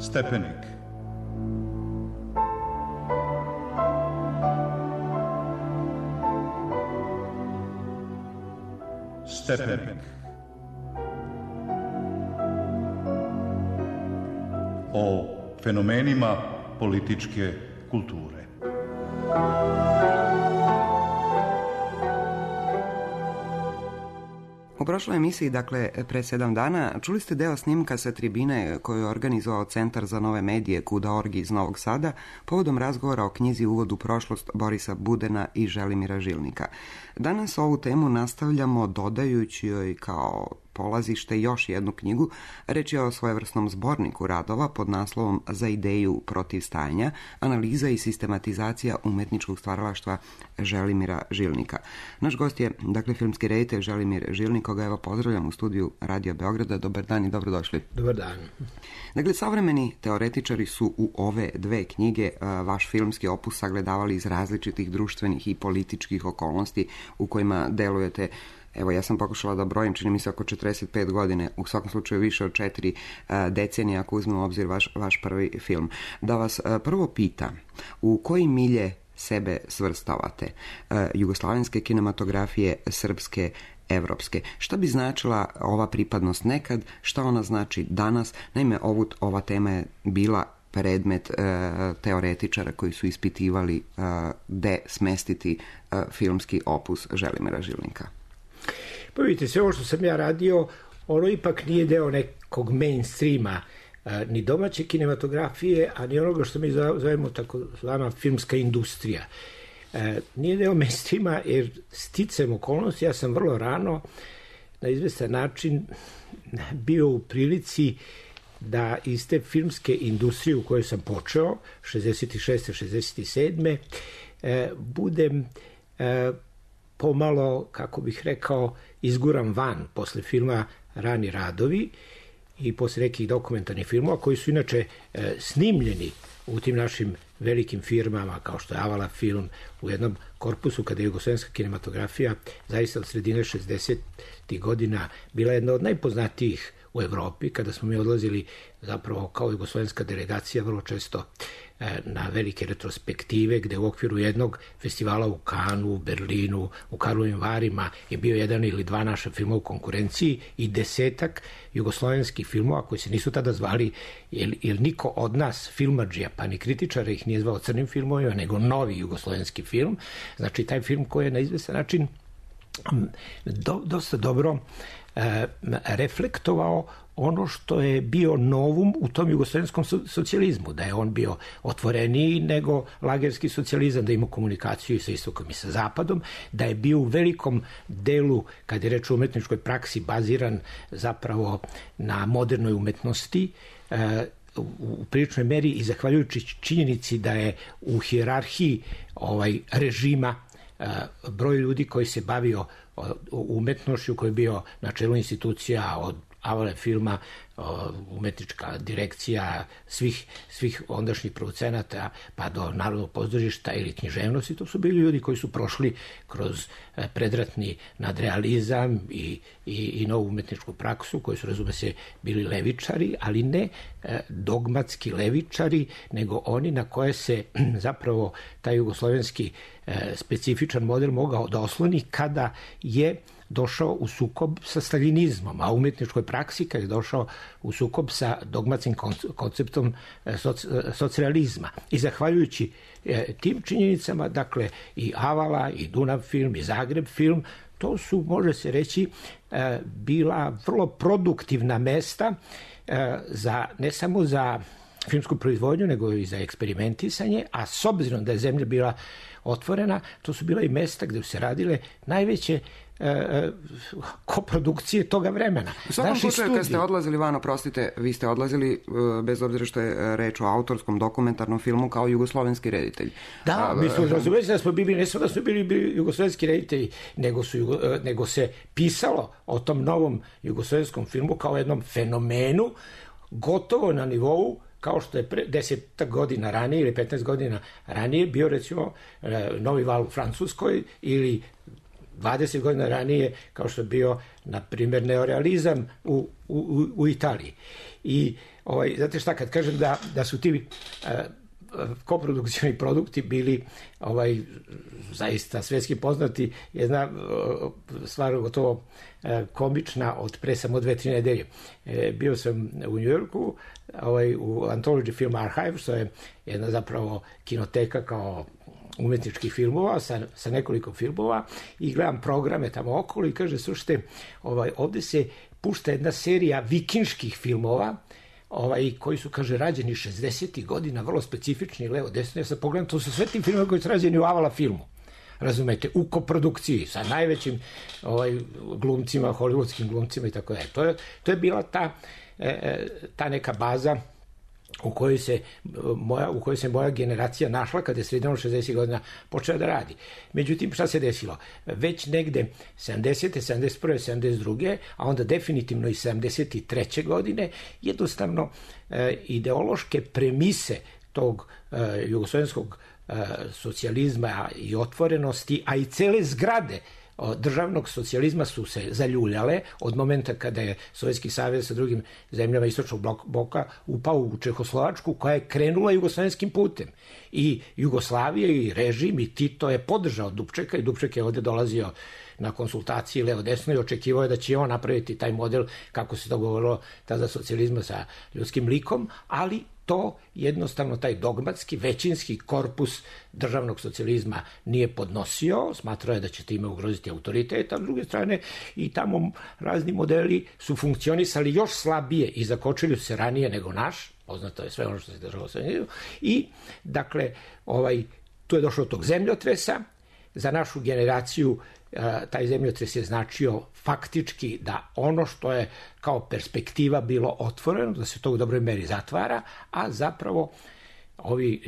Stepenik. Stepenik. O fenomenima političke kulture. U prošloj emisiji, dakle, pre 7 dana, čuli ste deo snimka sa tribine koju je organizovao Centar za nove medije Kuda.org iz Novog Sada povodom razgovora o knjizi Uvod u prošlost Borisa Budena i Želimira Žilnika. Danas ovu temu nastavljamo dodajući joj kao polazište još jednu knjigu. Reč je o svojevrsnom zborniku radova pod naslovom Za ideju protiv stajanja, analiza i sistematizacija umetničkog stvaralaštva Želimira Žilnika. Naš gost je, dakle, filmski reditelj Želimir Žilnik, koga evo pozdravljam u studiju Radio Beograda. Dobar dan i dobrodošli. Dobar dan. Dakle, savremeni teoretičari su u ove dve knjige vaš filmski opus sagledavali iz različitih društvenih i političkih okolnosti u kojima delujete. Evo, ja sam pokušala da brojim, čini mi se oko 45 godine, u svakom slučaju više od 4 decenije, ako uzmemo u obzir vaš prvi film. Da vas prvo pita, u koji milje sebe svrstavate? Jugoslavenske kinematografije, srpske, evropske. Šta bi značila ova pripadnost nekad, šta ona znači danas? Naime, ova tema je bila predmet teoretičara koji su ispitivali gde smestiti filmski opus Želimira Žilnika. Pa vidite, sve ovo što sam ja radio, ono ipak nije deo nekog mainstreama, ni domaće kinematografije, a ni onoga što mi zovemo takozvana filmska industrija. Nije deo mainstreama jer sticajem okolnosti ja sam vrlo rano na izvestan način bio u prilici da iz te filmske industrije u kojoj sam počeo, 66. 67. Budem pomalo, kako bih rekao, izguram van posle filma Rani radovi i posle nekih dokumentarnih filmova koji su inače snimljeni u tim našim velikim firmama kao što je Avala film u jednom korpusu kada je jugoslovenska kinematografija zaista od sredine 60. godina bila jedna od najpoznatijih u Evropi, kada smo mi odlazili zapravo kao jugoslovenska delegacija vrlo često na velike retrospektive, gde u okviru jednog festivala u Kanu, u Berlinu, u Karlovim Varima je bio jedan ili dva naša filma u konkurenciji i 10 jugoslovenskih filmova koji se nisu tada zvali, jer niko od nas filmadžija, pa ni kritičara ih nije zvao crnim filmovima, nego novi jugoslovenski film. Znači, taj film koji je na izvestan način dosta dobro reflektovao ono što je bio novum u tom jugoslovenskom socijalizmu, da je on bio otvoreniji nego lagerski socijalizam, da ima komunikaciju i sa istokom i sa zapadom, da je bio u velikom delu, kad je reč o umetničkoj praksi, baziran zapravo na modernoj umetnosti, u priličnoj meri i zahvaljujući činjenici da je u hijerarhiji režima broj ljudi koji se bavio umetnošću, koji je bio na čelu institucija od Avale filma, umetnička direkcija svih ondašnjih producenata pa do Narodnog pozorišta ili književnosti, to su bili ljudi koji su prošli kroz predratni nadrealizam i novu umetničku praksu, koji su, razume se, bili levičari, ali ne dogmatski levičari, nego oni na koje se zapravo taj jugoslovenski specifičan model mogao da osloni kada je došao u sukob sa staljinizmom, a u umetničkoj praksi kad je došao u sukob sa dogmatskim konceptom socijalizma. I zahvaljujući tim činjenicama, dakle, i Avala, i Dunav film, i Zagreb film, to su, može se reći, bila vrlo produktivna mesta ne samo za filmsku proizvodnju, nego i za eksperimentisanje, a s obzirom da je zemlja bila otvorena, to su bila i mesta gde su se radile najveće koprodukcije toga vremena. U svakom slučaju, kad ste odlazili van, oprostite, vi ste odlazili, bez obzira što je reč o autorskom dokumentarnom filmu, kao jugoslovenski reditelj. Da, mislim, razumijete da smo bili, ne samo da smo bili jugoslovenski reditelji, nego se pisalo o tom novom jugoslovenskom filmu kao jednom fenomenu, gotovo na nivou kao što je 10 godina ranije ili 15 godina ranije bio, recimo, Novi val u Francuskoj ili 20 godina ranije, kao što je bio, na primjer, neorealizam u Italiji. I znate šta, kad kažem da su ti koprodukcioni produkti bili zaista svetski poznati, jedna stvar gotovo komična od pre samo 2-3 nedelje. Bio sam u Njujorku, u Anthology Film Archive, što je jedna zapravo kinoteka kao umetničkih filmova sa nekoliko filmova, i gledam programe tamo okolo i kaže, slušajte, ovde se pušta jedna serija vikinških filmova, koji su, kaže, rađeni 60. godina, vrlo specifični, levo, desno. Ja sam pogledam, to su sve ti filmovi koji su rađeni u Avala filmu. Razumete, u koprodukciji sa najvećim glumcima, hollywoodskim glumcima i tako da. To je bila ta neka baza u kojoj se moja generacija našla kada je sredinom 60. godina počela da radi. Međutim, šta se desilo? Već negde 70. 71. 72. a onda definitivno i 73. godine, jednostavno ideološke premise tog jugoslovenskog socijalizma i otvorenosti, a i cele zgrade državnog socijalizma su se zaljuljale od momenta kada je Sovjetski savez sa drugim zemljama istočnog bloka upao u Čehoslovačku, koja je krenula jugoslovenskim putem. I Jugoslavija i režim i Tito je podržao Dubčeka, i Dubček je ovde dolazio na konsultaciji levo-desno i očekivao je da će on napraviti taj model, kako se to govorilo tada, socijalizma sa ljudskim likom, ali to jednostavno taj dogmatski, većinski korpus državnog socijalizma nije podnosio, smatrao je da će time ugroziti autoritet, a s druge strane i tamo razni modeli su funkcionisali još slabije i zakočili se ranije nego naš, poznato je sve ono što se držalo sa njim, i dakle, tu je došlo do tog zemljotresa. Za našu generaciju taj zemljotres je značio faktički da ono što je kao perspektiva bilo otvoreno, da se to u dobroj meri zatvara, a zapravo ovi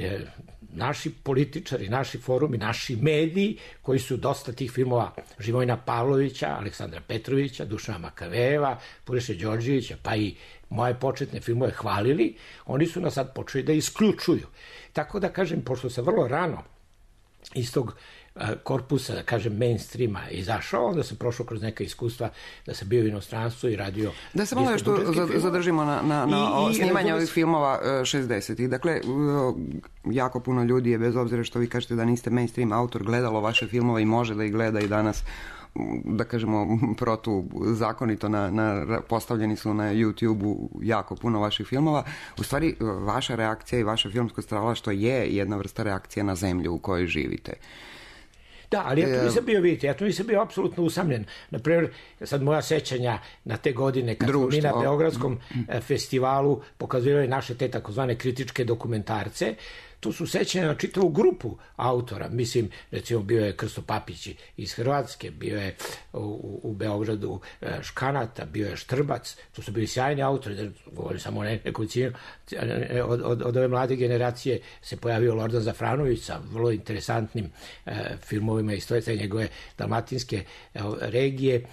naši političari, naši forumi, naši mediji, koji su dosta tih filmova Živojina Pavlovića, Aleksandra Petrovića, Dušana Makavejeva, Puriše Đorđevića, pa i moje početne filmove hvalili, oni su nas sad počeli da isključuju. Tako da kažem, pošto se vrlo rano iz tog korpusa, da kažem, mainstreama izašao, onda sam prošao kroz neka iskustva da sam bio u inostranstvu i radio... Da se malo još tu zadržimo na snimanje ovih filmova 60-ih. Dakle, jako puno ljudi je, bez obzira što vi kažete da niste mainstream autor, gledalo vaše filmove i može da ih gleda i danas, da kažemo, protuzakonito postavljeni su na YouTube-u jako puno vaših filmova. U stvari, vaša reakcija i vaše filmsko stvaralaštvo je jedna vrsta reakcija na zemlju u kojoj živite. Da, ali ja tu nisam bio, vidite, ja tu nisam bio apsolutno usamljen. Naprimjer, sad moja sećanja na te godine kad smo mi na Beogradskom festivalu pokazivali naše te takozvane kritičke dokumentarce, tu su sećanja na čitavu grupu autora. Mislim, recimo, bio je Krsto Papić iz Hrvatske, bio je u Beogradu Škanata, bio je Štrbac, tu su bili sjajni autori, govorim samo o nekolicinu. Od ove mlade generacije se pojavio Lordan Zafranović sa vrlo interesantnim filmovima iz te njegove dalmatinske regije.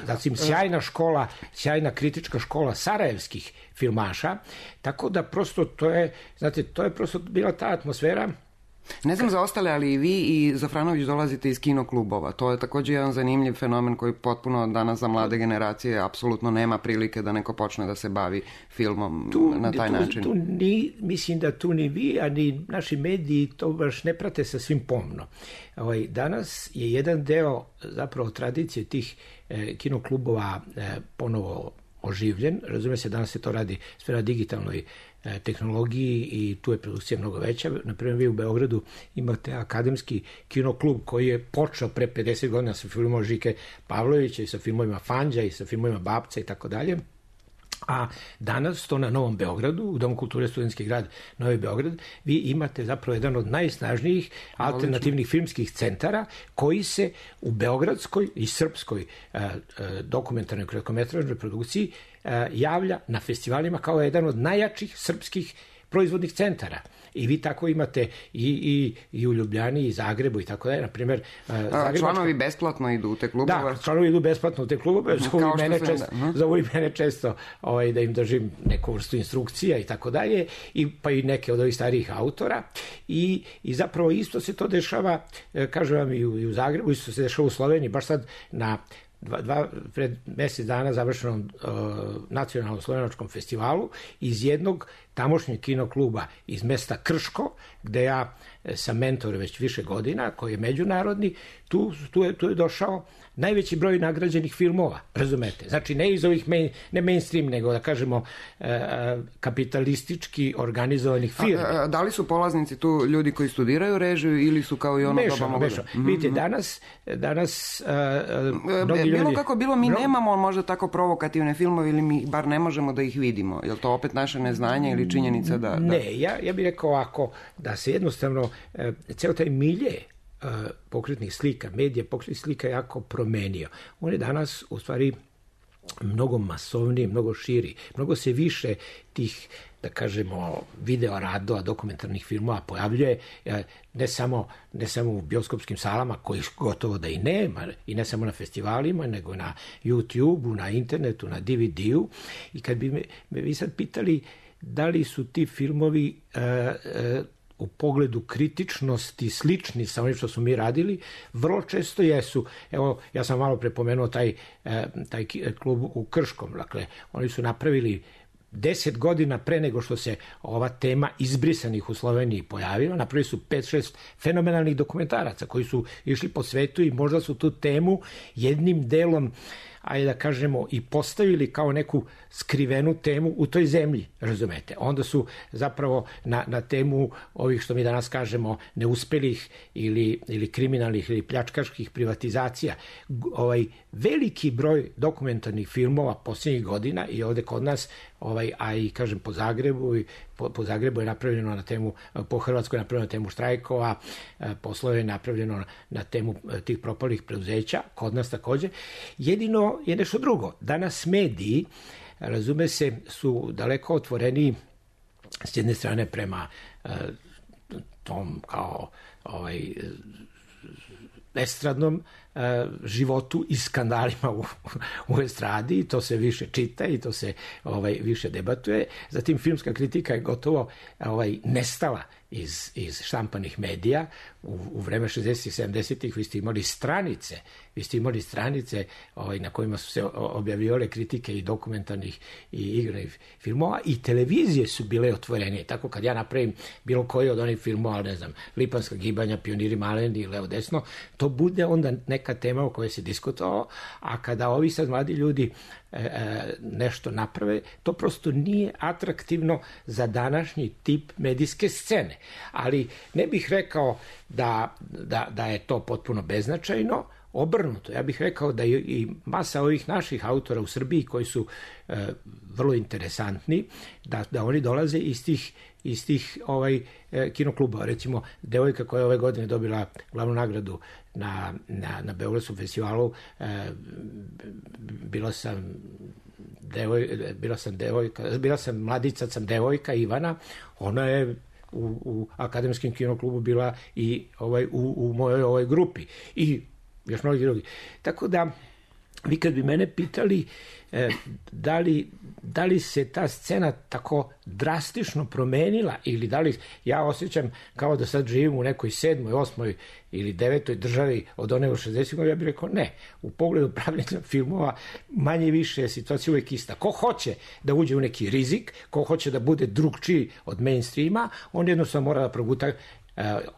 Zatim, sjajna škola, sjajna kritička škola sarajevskih filmaša, tako da prosto to je, znate, to je prosto bila ta atmosfera. Ne znam za ostale, ali i vi i Zafranović dolazite iz kinoklubova. To je također jedan zanimljiv fenomen koji potpuno danas za mlade generacije apsolutno nema prilike da neko počne da se bavi filmom na taj način. Mislim da tu ni vi, a ni naši mediji to baš ne prate sa svim pomno. Danas je jedan deo zapravo tradicije tih kinoklubova ponovo oživljen. Razume se, danas se to radi sve na digitalnoj tehnologiji i tu je produkcija mnogo veća. Naprimjer, vi u Beogradu imate akademski kinoklub koji je počeo pre 50 godina sa filmom Žike Pavlovića i sa filmovima Fanđa i sa filmovima Babca i tako dalje. A danas to na Novom Beogradu, u Domu kulture Studentski grad Novi Beograd, vi imate zapravo jedan od najsnažnijih alternativnih filmskih centara koji se u beogradskoj i srpskoj dokumentarnoj kratkometražnoj produkciji javlja na festivalima kao jedan od najjačih srpskih proizvodnih centara. I vi tako imate i u Ljubljani, i Zagrebu i tako da je, na primjer... Članovi besplatno idu u te klubove? Da, članovi idu besplatno u te klubove, zovu i mene često da im držim neku vrstu instrukcija i tako dalje, pa i neke od ovih starijih autora. I zapravo isto se to dešava, kažem vam, i u Zagrebu, isto se dešava u Sloveniji, baš sad na pred mjesec dana završenom nacionalnom slovenačkom festivalu iz jednog tamošnjeg kinokluba iz mesta Krško, gde ja sam mentor već više godina, koji je međunarodni, tu je došao najveći broj nagrađenih filmova, razumete? Znači, ne iz ovih, ne mainstream, nego da kažemo kapitalistički organizovanih firmi. Da li su polaznici tu ljudi koji studiraju režiju ili su kao i ono doba mogu? Mešano. Vidite, danas mnogi ljudi... Bilo kako bilo, mi nemamo možda tako provokativne filmove ili mi bar ne možemo da ih vidimo. Je li to opet naše neznanje ili činjenica da... Ne, ja bih rekao ovako, da se jednostavno ceo taj milje pokretnih slika, medija pokretnih slika jako promenio. On je danas u stvari mnogo masovniji, mnogo širi, mnogo se više tih, da kažemo, video radova, dokumentarnih filmova pojavljuje, ne samo u bioskopskim salama, koji gotovo da i nema, i ne samo na festivalima, nego na YouTube-u, na internetu, na DVD-u. I kad bi me vi sad pitali da li su ti filmovi u pogledu kritičnosti slični sa onim što su mi radili, vrlo često jesu. Evo, ja sam malo prepomenuo taj klub u Krškom. Dakle, oni su napravili 10 godina pre nego što se ova tema izbrisanih u Sloveniji pojavila, napravili su 5-6 fenomenalnih dokumentaraca koji su išli po svetu i možda su tu temu jednim delom, ajde da kažemo, i postavili kao neku skrivenu temu u toj zemlji, razumete. Onda su zapravo na temu ovih, što mi danas kažemo, neuspelih ili kriminalnih ili pljačkaških privatizacija. Veliki broj dokumentarnih filmova posljednjih godina i ovde kod nas, a i kažem po Zagrebu je napravljeno na temu, po Hrvatskoj je napravljeno na temu štrajkova, poslove je napravljeno na temu tih propalih preduzeća, kod nas također. Jedino je nešto drugo. Danas mediji, razume se, su daleko otvoreni s jedne strane prema tom kao estradnom životu i skandalima u estradi, to se više čita i to se više debatuje. Zatim filmska kritika je gotovo nestala iz štampanih medija. U vreme 60-ih, 70-ih vi ste imali stranice na kojima su se objavljivale kritike i dokumentarnih i igranih filmova, i televizije su bile otvorenije. Tako kad ja napravim bilo koji od onih filmova, ne znam, Lipanska gibanja, Pioniri maleni i Levo desno, to bude onda neka tema o kojoj se diskutovalo, a kada ovi sad mladi ljudi nešto naprave, to prosto nije atraktivno za današnji tip medijske scene. Ali ne bih rekao da je to potpuno beznačajno, obrnuto. Ja bih rekao da i masa ovih naših autora u Srbiji koji su vrlo interesantni, da oni dolaze iz tih kinoklubova. Recimo, devojka koja je ove godine dobila glavnu nagradu na Beogradskom festivalu, bila sam mladica, sam devojka Ivana, ona je u akademskom kinoklubu bila i u mojoj ovoj grupi i još mnogi drugi. Tako da, vi kad bi mene pitali da li se ta scena tako drastično promenila ili da li ja osjećam kao da sad živim u nekoj 7., 8. ili 9. državi od one u 60. ja bih rekao ne. U pogledu pravljenja filmova manje više je situacija uvijek ista. Ko hoće da uđe u neki rizik, ko hoće da bude drugčiji od mainstreama, on jednostavno mora da proguta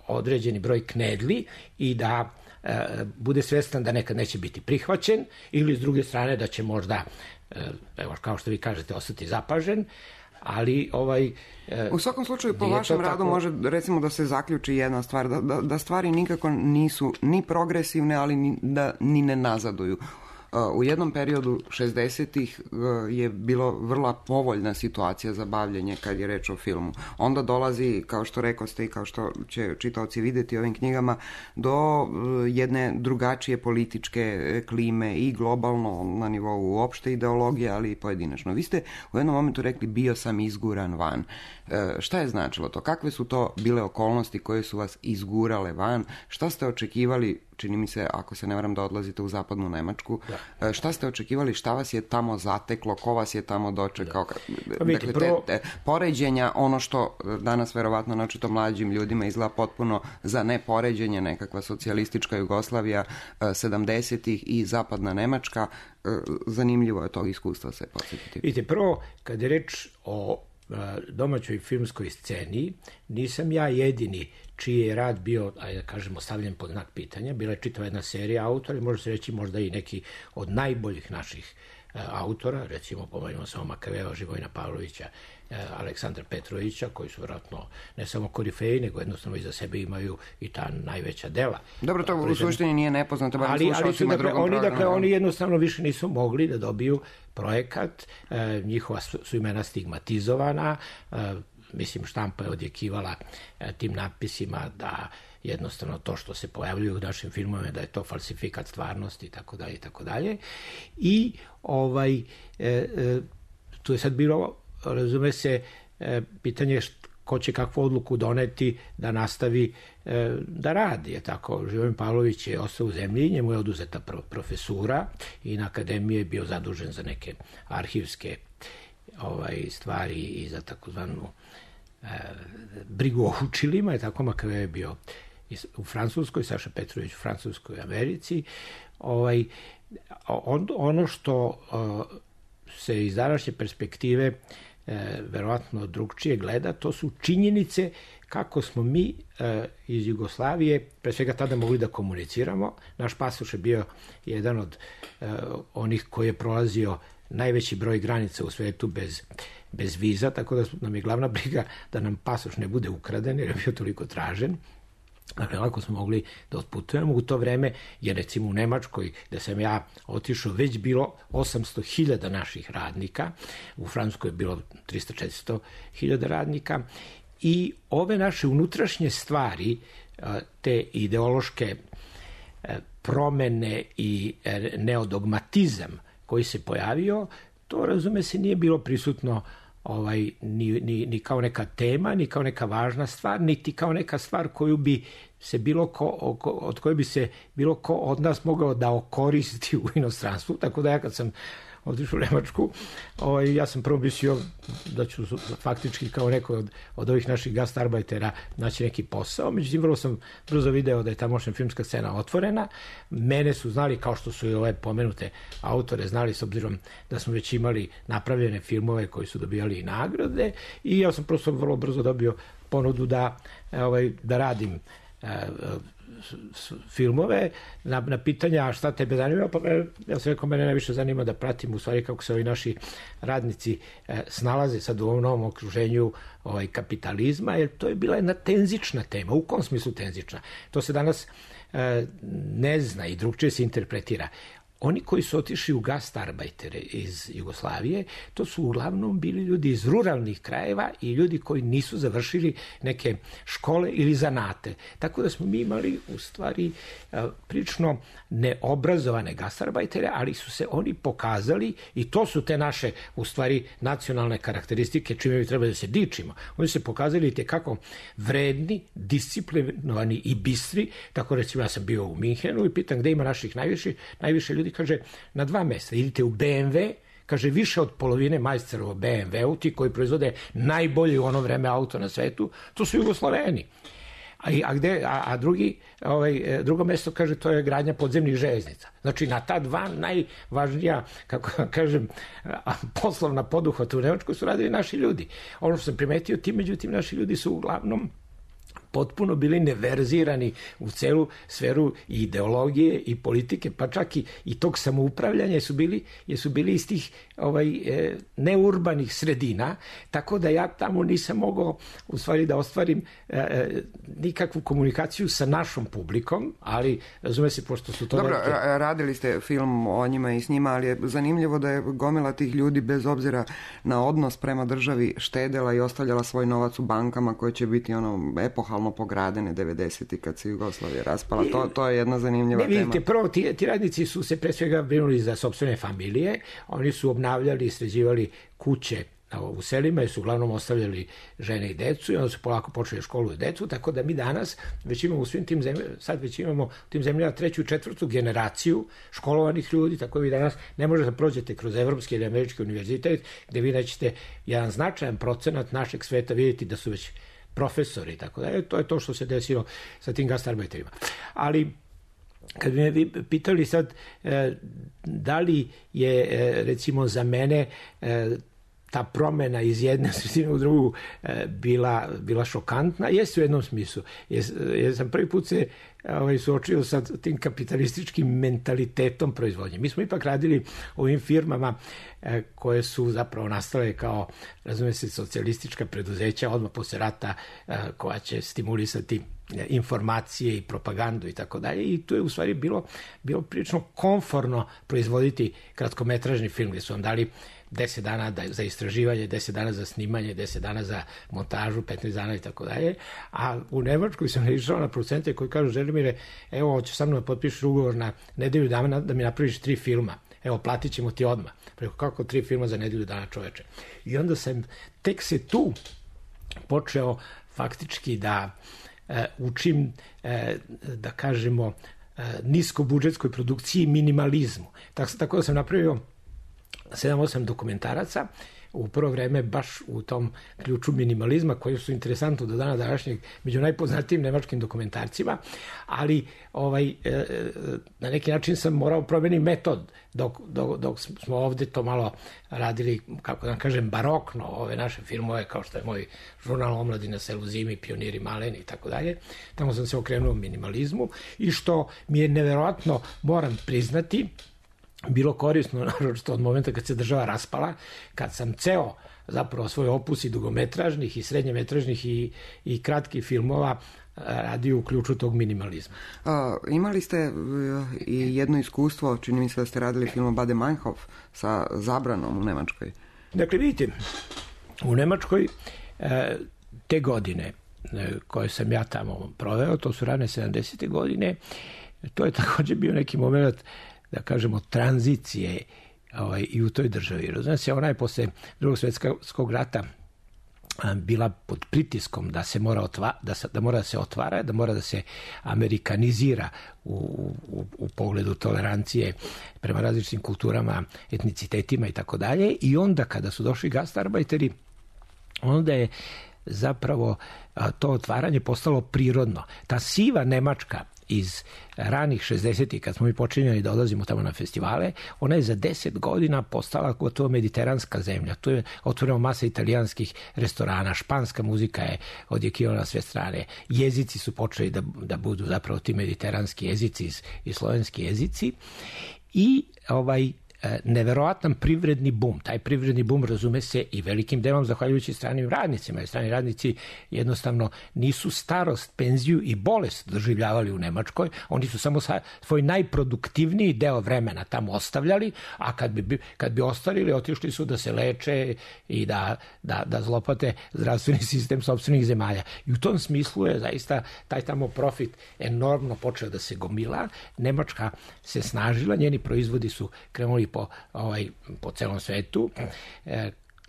određeni broj knedli i da bude svestan da nekad neće biti prihvaćen ili s druge strane da će možda, evo kao što vi kažete, ostati zapažen, ali u svakom slučaju po vašem radu može recimo da se zaključi jedna stvar, da stvari nikako nisu ni progresivne, ali ni ne nazaduju. U jednom periodu 60-ih je bilo vrlo povoljna situacija za bavljenje kad je reč o filmu. Onda dolazi, kao što rekoste i kao što će čitaoci vidjeti ovim knjigama, do jedne drugačije političke klime i globalno na nivou uopšte ideologije, ali i pojedinačno. Vi ste u jednom momentu rekli bio sam izguran van. Šta je značilo to? Kakve su to bile okolnosti koje su vas izgurale van? Šta ste očekivali, čini mi se, ako se ne varam, da odlazite u zapadnu Nemačku? Da. Šta ste očekivali, šta vas je tamo zateklo, ko vas je tamo dočekao? Da. Dakle, te poređenja, ono što danas verovatno naočito mlađim ljudima izgleda potpuno za nepoređenje, nekakva socijalistička Jugoslavija 70-ih i zapadna Nemačka, zanimljivo je tog iskustva se podsjetiti. Vidite, prvo, kad je reč o domaćoj filmskoj sceni, nisam ja jedini čiji je rad bio, ajde da kažemo, stavljen pod znak pitanja. Bila je čitava jedna serija autora i može se reći možda i neki od najboljih naših autora, recimo pomenimo samo Makaveva, Živojina Pavlovića, Aleksandra Petrovića, koji su vjerojatno ne samo korifeji, nego jednostavno iza sebe imaju i ta najveća dela. Dobro, to u suštini nije nepoznato, ali su, dakle, oni jednostavno više nisu mogli da dobiju projekat, njihova su imena stigmatizovana, mislim, štampa je odjekivala tim natpisima da jednostavno to što se pojavljuje u našim filmovima da je to falsifikat stvarnosti i tako dalje i tako dalje. I tu je sad bilo, razume se, pitanje ko će kakvu odluku doneti da nastavi da radi. Je tako, Živojin Pavlović je ostao u zemlji, njemu je oduzeta profesura i na akademiji je bio zadužen za neke arhivske stvari i za takozvanu brigu o učilima, je tako, Makave je bio u Francuskoj, Saša Petrović u Francuskoj Americi. Ono što se iz današnje perspektive verovatno drugčije gleda, to su činjenice kako smo mi iz Jugoslavije pre svega tada mogli da komuniciramo. Naš pasoš je bio jedan od onih koji je prolazio najveći broj granica u svetu bez viza, tako da nam je glavna briga da nam pasoš ne bude ukraden, jer je bio toliko tražen. Dakle, lako smo mogli da otputujemo. U to vreme je, recimo, u Nemačkoj, gde sam ja otišao, već bilo 800.000 naših radnika, u Francuskoj je bilo 300-400.000 radnika, i ove naše unutrašnje stvari, te ideološke promene i neodogmatizam koji se pojavio, to, razume se, nije bilo prisutno ni kao neka tema, ni kao neka važna stvar, niti kao neka stvar koju bi se od koje bi se bilo ko od nas mogao da okoristi u inostranstvu. Tako da ja kad sam otišao u Nemačku, ja sam prvo mislio da ću faktički kao neko od ovih naših gastarbeitera naći neki posao. Međutim, vrlo sam brzo video da je tamošnja filmska scena otvorena. Mene su znali, kao što su i ove pomenute autore znali, s obzirom da smo već imali napravljene filmove koji su dobijali i nagrade, i ja sam prosto vrlo brzo dobio ponudu da radim filmove. Na pitanja šta tebe zanima, pa ja sam rekao, mene najviše zanima da pratim u stvari kako se ovi naši radnici snalaze sad u ovom novom okruženju kapitalizma, jer to je bila jedna tenzična tema. U kom smislu tenzična? To se danas ne zna i drugčije se interpretira. Oni koji su otišli u gastarbajtere iz Jugoslavije, to su uglavnom bili ljudi iz ruralnih krajeva i ljudi koji nisu završili neke škole ili zanate. Tako da smo mi imali u stvari prilično neobrazovane gastarbajtere, ali su se oni pokazali, i to su te naše u stvari nacionalne karakteristike čime bi trebali da se dičimo. Oni su se pokazali tekako vredni, disciplinovani i bistri. Tako, recimo, ja sam bio u Minhenu i pitam gde ima naših najviše ljudi. Kaže, na 2 mesta. Idite u BMW, kaže, više od polovine majstorova BMW-u, ti koji proizvode najbolje u ono vreme auto na svetu, to su Jugosloveni. A drugo mesto, kaže, to je gradnja podzemnih železnica. Znači, na ta 2 najvažnija, kako kažem, poslovna poduhvata u Nemačkoj su radili naši ljudi. Ono što sam primetio, međutim, naši ljudi su uglavnom potpuno bili neverzirani u celu sferu i ideologije i politike, pa čak i tog samoupravljanja, jesu bili iz tih neurbanih sredina, tako da ja tamo nisam mogao u stvari da ostvarim nikakvu komunikaciju sa našom publikom, ali razume se, pošto su to... Dobro, radili ste film o njima i s njima, ali je zanimljivo da je gomila tih ljudi bez obzira na odnos prema državi štedela i ostavljala svoj novac u bankama koje će biti epohalno pogradene 90. kad se Jugoslavija raspala. To je jedna zanimljiva tema. Vidite, prvo ti radnici su se pre svega brinuli za sopstvene familije, oni su obnavljali i sređivali kuće u selima, jer su uglavnom ostavljali žene i decu i onda su polako počeli školu i decu, tako da mi danas već imamo u svim tim zemljama, sad već imamo u tim zemljama 3. i 4. generaciju školovanih ljudi, tako da vi danas ne možete da prođete kroz evropski ili američki univerzitet gde vi nećete jedan značajan procenat našeg sveta vidjeti da su već profesori, tako da to je to što se desilo sa tim gastarbajterima. Ali kad bi me pitali sad da li je recimo za mene ta promena iz jedne sredine u drugu bila šokantna, jeste u jednom smislu. Jer sam prvi put se suočio sa tim kapitalističkim mentalitetom proizvodnje. Mi smo ipak radili u ovim firmama koje su zapravo nastale kao, razume se, socijalistička preduzeća odmah posle rata koja će stimulisati informacije i propagandu i tako dalje, i tu je u stvari bilo prilično komforno proizvoditi kratkometražni film, gdje su vam dali 10 dana za istraživanje, 10 dana za snimanje, 10 dana za montažu, 15 dana i tako dalje. A u Nemačkoj sam išao na producente koji kažu: Želimire, evo, hoćeš sa mnom da potpišeš ugovor na nedelju dana da mi napraviš 3 filma. Evo, platit ćemo ti odmah. Preko kako 3 filma za nedelju dana, čoveče. I onda sam tek se tu počeo faktički da učim, da kažemo, niskobudžetskoj produkciji i minimalizmu. Tako da sam napravio 7-8 dokumentaraca u prvo vreme baš u tom ključu minimalizma, koji su interesantni do dana današnjeg među najpoznatijim nemačkim dokumentarcima, ali na neki način sam morao promeniti metod dok smo ovde to malo radili, kako da kažem, barokno, ove naše filmove, kao što je moj žurnal Omladi na selu zimi, Pioniri maleni i tako dalje. Tamo sam se okrenuo minimalizmu i što mi je neverovatno, moram priznati, bilo korisno, naročito od momenta kad se država raspala, kad sam ceo zapravo svoj opus i dugometražnih i srednjemetražnih i kratkih filmova radio u ključu tog minimalizma. Imali ste i jedno iskustvo, čini mi se da ste radili film Bade Meinhof sa zabranom u Nemačkoj. Dakle, vidite, u Nemačkoj te godine koje sam ja tamo proveo, to su rane 70. godine, to je također bio neki moment, da kažemo, tranzicije i u toj državi. Znači, ona je posle Drugog svjetskog rata bila pod pritiskom da se mora da se otvara, da mora da se amerikanizira u pogledu tolerancije prema različitim kulturama, etnicitetima i tako dalje. I onda kada su došli gastarbajteri, onda je zapravo to otvaranje postalo prirodno. Ta siva Nemačka iz ranih 60-ih, kad smo mi počinjali da odlazimo tamo na festivale, ona je za 10 godina postala gotovo mediteranska zemlja. Tu je otvoreno masa italijanskih restorana, španska muzika je odjekivana na sve strane, jezici su počeli da budu zapravo ti mediteranski jezici i slovenski jezici i neverovatan privredni bum. Taj privredni bum razume se i velikim delom zahvaljujući stranim radnicima, jer strani radnici jednostavno nisu starost, penziju i bolest doživljavali u Nemačkoj, oni su samo svoj najproduktivniji deo vremena tamo ostavljali, a kad bi ostarili, otišli su da se leče i da zlopate zdravstveni sistem sopstvenih zemalja. I u tom smislu je zaista taj tamo profit enormno počeo da se gomila. Nemačka se snažila, njeni proizvodi su krenuli po celom svetu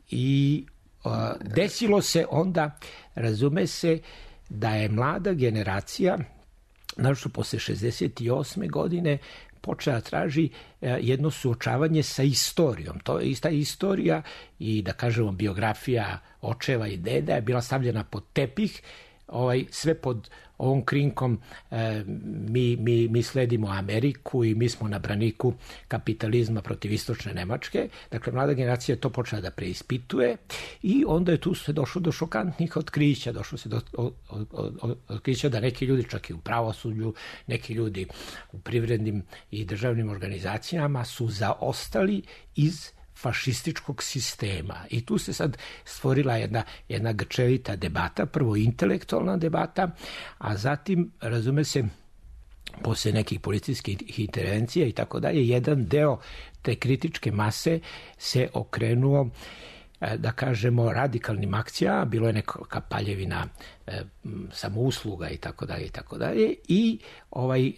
i desilo se onda, razume se, da je mlada generacija, naročito posle 68. godine, počela traži jedno suočavanje sa istorijom. To je ista istorija i, da kažemo, biografija očeva i deda je bila stavljena pod tepih sve pod ovom krinkom mi sledimo Ameriku i mi smo na braniku kapitalizma protiv istočne Nemačke. Dakle, mlada generacija to počela da preispituje i onda je tu se došlo do šokantnih otkrića. Došlo se do otkrića da neki ljudi čak i u pravosuđu, neki ljudi u privrednim i državnim organizacijama su zaostali iz fašističkog sistema. I tu se sad stvorila jedna grčevita debata, prvo intelektualna debata, a zatim, razume se, posle nekih policijskih intervencija i tako dalje, jedan deo te kritičke mase se okrenuo, da kažemo, radikalnim akcijama, bilo je neka paljevina samousluga i tako dalje i tako dalje, i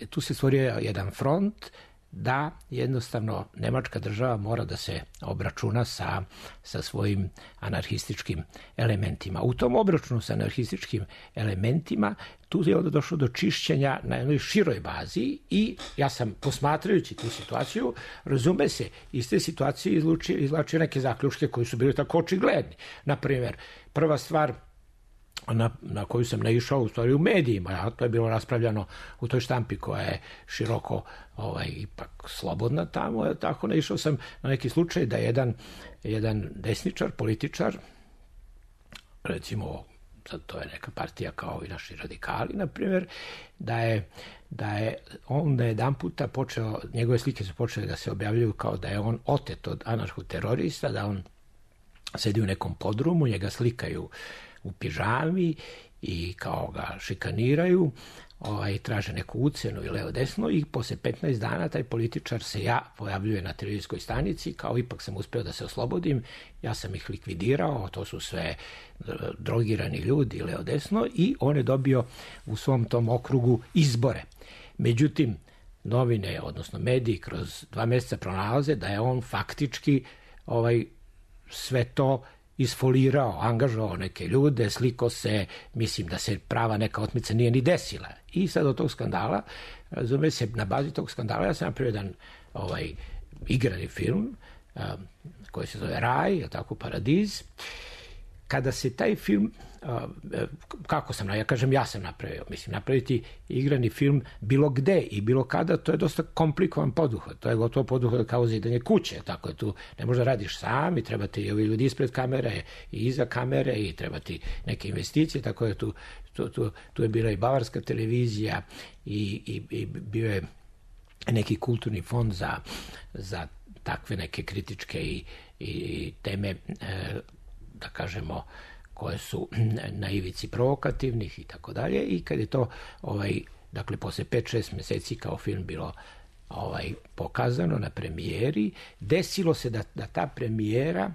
tu se stvorio jedan front da jednostavno Nemačka država mora da se obračuna sa svojim anarhističkim elementima. U tom obračunu sa anarhističkim elementima tu je onda došlo do čišćenja na jednoj široj bazi i ja sam, posmatrajući tu situaciju, razume se, iz te situacije izvlačio neke zaključke koji su bili tako očigledni. Naprimjer, prva stvar na koju sam naišao u stvari u medijima, a to je bilo raspravljano u toj štampi koja je široko ipak slobodna tamo, tako naišao sam na neki slučaj da jedan desničar, političar, recimo, sad to je neka partija kao i naši radikali, na primjer, da je on jedan puta počeo, njegove slike su počele da se objavljuju kao da je on otet od anarhoterorista, da on sedi u nekom podrumu, njega slikaju u pižami i kao ga šikaniraju, traže neku ucenu i levo desno, i posle 15 dana taj političar se pojavljuje na televizijskoj stanici, kao ipak sam uspeo da se oslobodim, ja sam ih likvidirao, to su sve drogirani ljudi levo desno, i on je dobio u svom tom okrugu izbore. Međutim, novine, odnosno mediji, kroz 2 meseca pronalaze da je on faktički sve to isfolirao, angažovao neke ljude, sliko se, mislim da se prava neka otmica nije ni desila. I sad od tog skandala, razume se, na bazi tog skandala ja sam napravio jedan igrani film koji se zove Raj, je tako, Paradiz. Kada se taj film, ja sam napravio, mislim, napraviti igrani film bilo gde i bilo kada, to je dosta komplikovan poduhvat, to je gotovo poduhvat kao zidanje kuće, tako je, tu ne možda radiš sam i treba ti ovi ljudi ispred kamere i iza kamere i treba ti neke investicije, tako je tu je bila i bavarska televizija i bio je neki kulturni fond za takve neke kritičke i teme, da kažemo, koje su na ivici provokativnih i tako dalje, i kad je to dakle posle 5-6 meseci kao film bilo pokazano na premijeri, desilo se da ta premijera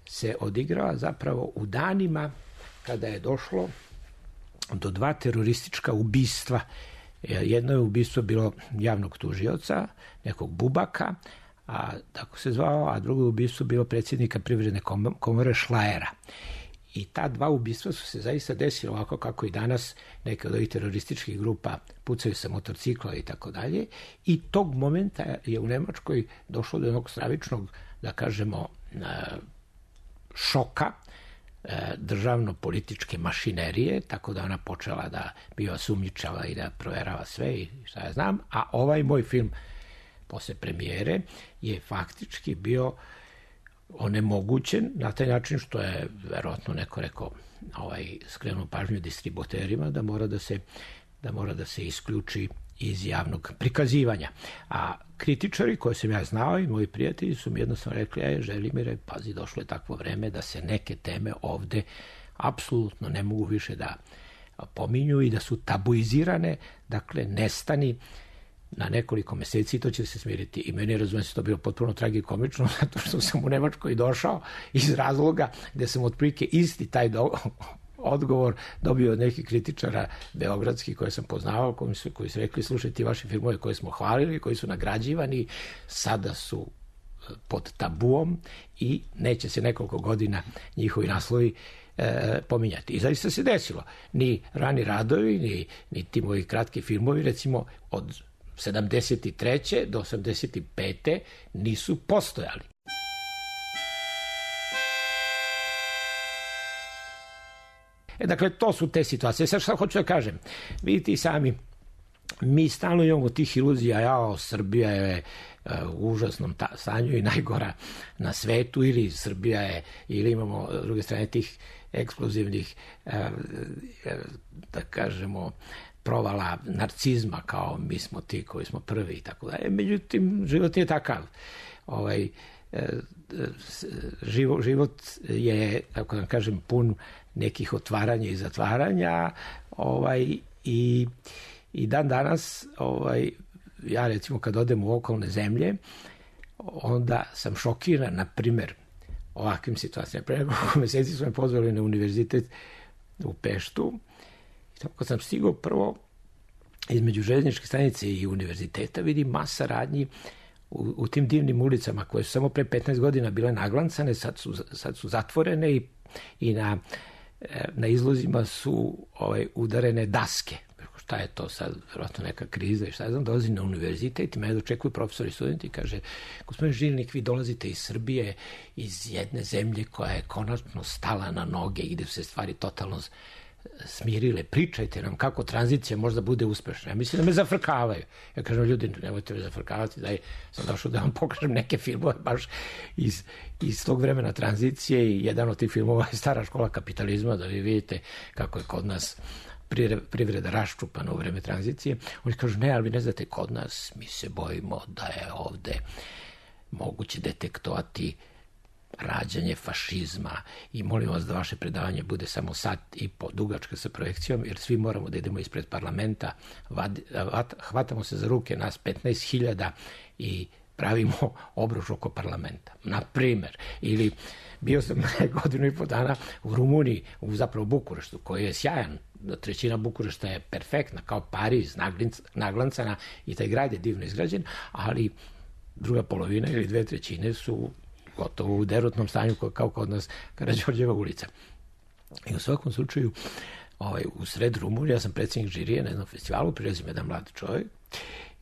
se odigrava zapravo u danima kada je došlo do 2 teroristička ubistva. Jedno je ubistvo bilo javnog tužioca, nekog Bubaka, tako se zvao, a drugo ubistvo bilo predsjednika Privredne komore Šlajera. I ta 2 ubistva su se zaista desila ovako kako i danas neke od ovih terorističkih grupa pucaju sa motorcikla i tako dalje. I tog momenta je u Nemačkoj došlo do jednog stravičnog, da kažemo, šoka državno-političke mašinerije, tako da ona počela da biva sumnjičava i da proverava sve i šta ja znam. A ovaj moj film posle premijere je faktički bio onemogućen na taj način što je verovatno neko rekao, skrenuo pažnju distributerima da mora da se isključi iz javnog prikazivanja. A kritičari koje sam ja znao i moji prijatelji su mi jednostavno rekli, Želimire, pazi, došlo je takvo vreme da se neke teme ovde apsolutno ne mogu više da pominju i da su tabuizirane, dakle nestani na nekoliko meseci, to će se smiriti. I meni, razumijem se, to bilo potpuno tragikomično, zato što sam u Nemačkoj došao iz razloga gde sam otprilike isti taj odgovor dobio od nekih kritičara beogradskih koje sam poznavao, koji su rekli, slušaj, ti vaši filmove koje smo hvalili, koji su nagrađivani, sada su pod tabuom i neće se nekoliko godina njihovi naslovi pominjati. I zaista se desilo. Ni Rani radovi, ni ti moji kratki filmovi, recimo od 73. do 85. nisu postojali. Dakle, to su te situacije. Sad što hoću da kažem, vidite i sami, mi stalno imamo tih iluzija, Srbija je u užasnom stanju i najgora na svetu, ili Srbija je, ili imamo s druge strane tih eksplozivnih, da kažemo, provala narcizma, kao mi smo ti koji smo prvi i tako dalje. Međutim, život je takav. Život je, kako da kažem, pun nekih otvaranja i zatvaranja, i dan danas, ja recimo kad odem u okolne zemlje, onda sam šokiran, na primer, ovakvim situacijama. Pre nekoliko meseci su me pozvali na univerzitet u Peštu i tamo kad sam stigao, prvo između željezničke stanice i univerziteta vidim masa radnji u tim divnim ulicama koje su samo pre 15 godina bile naglancane, sad su zatvorene i na izlozima su udarene daske. Šta je to sad, vjerojatno neka kriza i šta znam, dolazim na univerzitet i mene dočekuju profesori i studenti i kaže, gospodin Žilnik, vi dolazite iz Srbije, iz jedne zemlje koja je konačno stala na noge i gde su se stvari totalno smirile, pričajte nam kako tranzicija možda bude uspešna. Ja mislim da me zafrkavaju. Ja kažem, ljudi, nemojte me zafrkavati, da sam došao da vam pokažem neke filmove baš iz tog vremena tranzicije i jedan od tih filmova je Stara škola kapitalizma, da vi vidite kako je kod nas privreda raščupana u vreme tranzicije. Oni kažu, ne, ali vi ne znate, kod nas mi se bojimo da je ovde moguće detektovati rađanje fašizma i molim vas da vaše predavanje bude samo sat i po dugačka sa projekcijom, jer svi moramo da idemo ispred parlamenta, hvatamo se za ruke, nas 15.000 i pravimo obruč oko parlamenta. Na primer, ili bio sam godinu i po dana u Rumuniji, zapravo Bukureštu, koji je sjajan, trećina Bukurešta je perfektna, kao Pariz, naglancana i taj grad je divno izgrađen, ali druga polovina ili 2/3 su gotovo u derutnom stanju kao kod nas Karađorđeva ulica. I u svakom slučaju, u sred Rumunije, ja sam predsjednik žirije na jednom festivalu, prilazim jedan mladi čovjek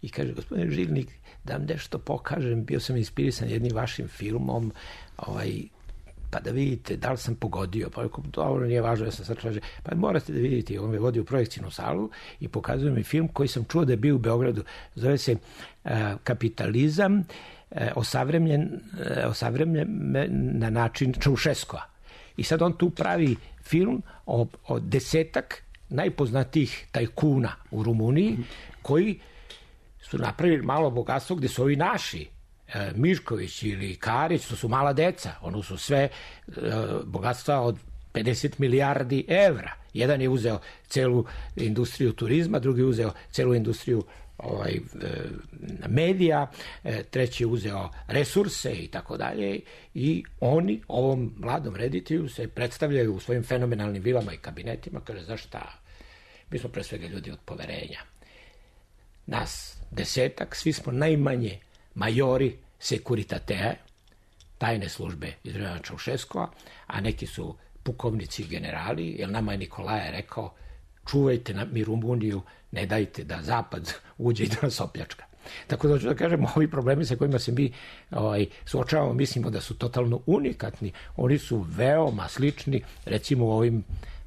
i kaže, gospodine Žilnik, da vam nešto pokažem, bio sam inspirisan jednim vašim filmom, pa da vidite da li sam pogodio, pa dobro, nije važno, ja sam sad tražio, pa morate da vidite, on me vodi u projekcijnu salu i pokazuje mi film koji sam čuo da je bio u Beogradu, zove se Kapitalizam, osavremenjen na način Čaušeskova. I sad on tu pravi film o 10 najpoznatijih tajkuna u Rumuniji, koji su napravili malo bogatstvo gde su ovi naši, Mišković ili Karić, to su mala deca, ono su sve bogatstva od 50 milijardi evra. Jedan je uzeo celu industriju turizma, drugi je uzeo celu industriju medija, treći je uzeo resurse i tako dalje, i oni ovom mladom reditelju se predstavljaju u svojim fenomenalnim vilama i kabinetima, kaže, znaš šta, mi smo pre svega ljudi od poverenja. Nas 10, svi smo najmanje majori Securitate, tajne službe iz vremena Čaušeskova, a neki su pukovnici i generali, jer nama je Nikolaje rekao, čuvajte mi Rumuniju, ne dajte da Zapad uđe i da nas opljačka. Tako da hoću da kažem, ovi problemi sa kojima se mi suočavamo, mislimo da su totalno unikatni, oni su veoma slični, recimo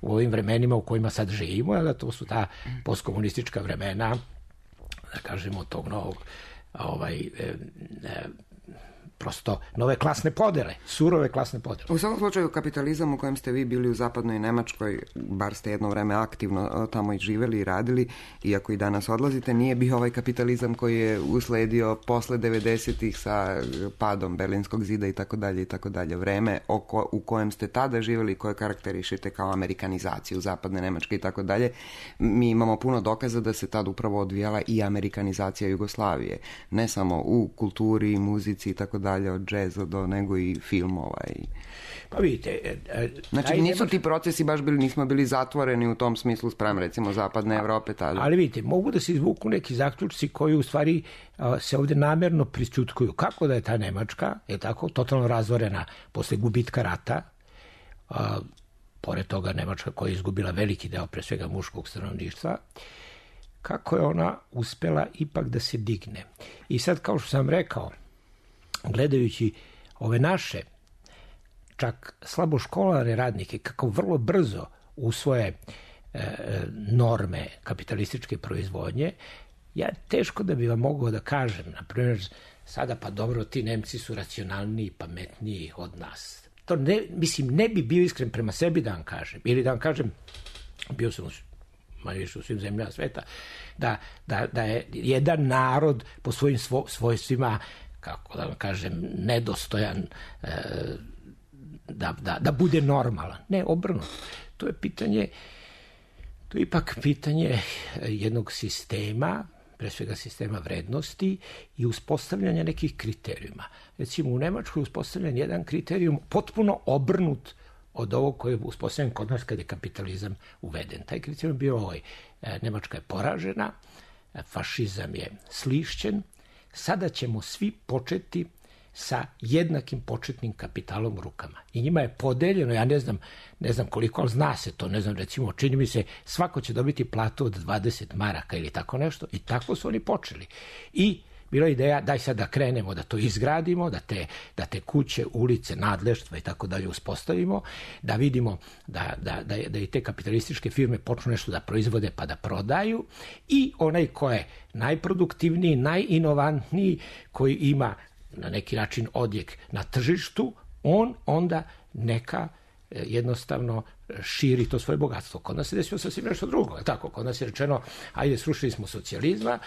u ovim vremenima u kojima sad živimo, da to su ta postkomunistička vremena, da kažemo, tog novog prosto nove klasne podele, surove klasne podele. U svakom slučaju, kapitalizam u kojem ste vi bili u zapadnoj Nemačkoj, bar ste jedno vreme aktivno tamo i živeli i radili, iako i danas odlazite, nije bio ovaj kapitalizam koji je usledio posle 90-ih sa padom Berlinskog zida i tako dalje i tako dalje. Vreme u kojem ste tada živeli, koje karakterišete kao amerikanizaciju zapadne Nemačke i tako dalje, mi imamo puno dokaza da se tad upravo odvijala i amerikanizacija Jugoslavije. Ne samo u kulturi, muzici i tako dalje, od džeza do nego i filmova. Pa vidite... Znači, nisu ti procesi baš nismo bili zatvoreni u tom smislu sprem, recimo, zapadne Evrope tada. Ali vidite, mogu da se izvuku neki zaključci koji u stvari se ovde namerno prisćutkuju. Kako da je ta Nemačka, je tako, totalno razvorena posle gubitka rata, pored toga Nemačka koja je izgubila veliki deo, pre svega muškog stanovništva, kako je ona uspela ipak da se digne. I sad, kao što sam rekao, gledajući ove naše, čak slabo školarne radnike, kako vrlo brzo usvoje norme kapitalističke proizvodnje, ja teško da bi vam mogao da kažem, na primjer, sada pa dobro, ti Nemci su racionalniji, pametniji od nas. To ne bi bio iskren prema sebi da vam kažem. Ili da vam kažem, bio sam manje više u svim zemljama sveta, da je jedan narod po svojim svojstvima, kako da vam kažem, nedostojan da bude normalan. Ne, obrnuto. To je ipak pitanje jednog sistema, pre svega sistema vrednosti i uspostavljanja nekih kriterijuma. Recimo, u Nemačkoj je uspostavljen jedan kriterijum potpuno obrnut od ovog koji je uspostavljen kod nas kad je kapitalizam uveden. Taj kriterijum je bio ovaj. Nemačka je poražena, fašizam je slišćen, sada ćemo svi početi sa jednakim početnim kapitalom u rukama. I njima je podeljeno, ja ne znam koliko, ali zna se to, ne znam, recimo, čini mi se, svako će dobiti platu od 20 maraka ili tako nešto, i tako su oni počeli. I bila je ideja, daj sad da krenemo, da to izgradimo, da te kuće, ulice, nadleštva i tako dalje uspostavimo, da vidimo da i te kapitalističke firme počnu nešto da proizvode pa da prodaju, i onaj ko je najproduktivniji, najinovantniji, koji ima na neki način odjek na tržištu, on onda neka jednostavno širi to svoje bogatstvo. Kod nas se desilo sasvim nešto drugo. Tako, kod nas je rečeno, ajde, srušili smo socijalizma,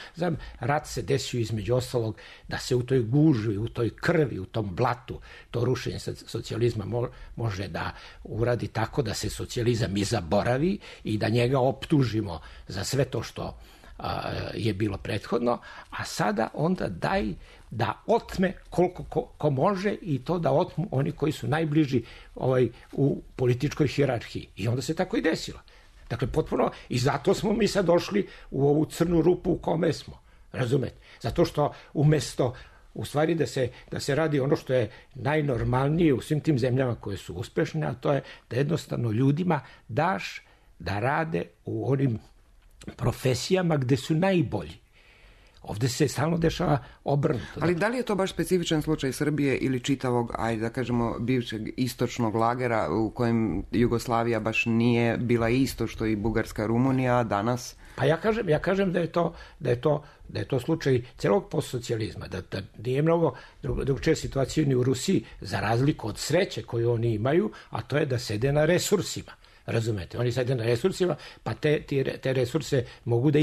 rat se desio između ostalog da se u toj gužvi, u toj krvi, u tom blatu, to rušenje socijalizma može da uradi tako da se socijalizam i zaboravi i da njega optužimo za sve to što je bilo prethodno, a sada onda daj da otme koliko ko može, i to da otmu oni koji su najbliži u političkoj hijerarhiji. I onda se tako i desilo. Dakle, potpuno, i zato smo mi sad došli u ovu crnu rupu u kome smo. Razumete? Zato što umesto u stvari da se radi ono što je najnormalnije u svim tim zemljama koje su uspešne, a to je da jednostavno ljudima daš da rade u onim profesijama gde su najbolji. Ovde se stalno dešava obrnuto. Ali da li je to baš specifičan slučaj Srbije ili čitavog, ajde da kažemo, bivšeg istočnog lagera u kojem Jugoslavija baš nije bila isto što i Bugarska, Rumunija, danas? Pa ja kažem da je to slučaj celog postsocijalizma, da nije mnogo drugčija situacija ni u Rusiji, za razliku od sreće koju oni imaju, a to je da sede na resursima. Razumete? Oni sede na resursima, pa te resurse mogu da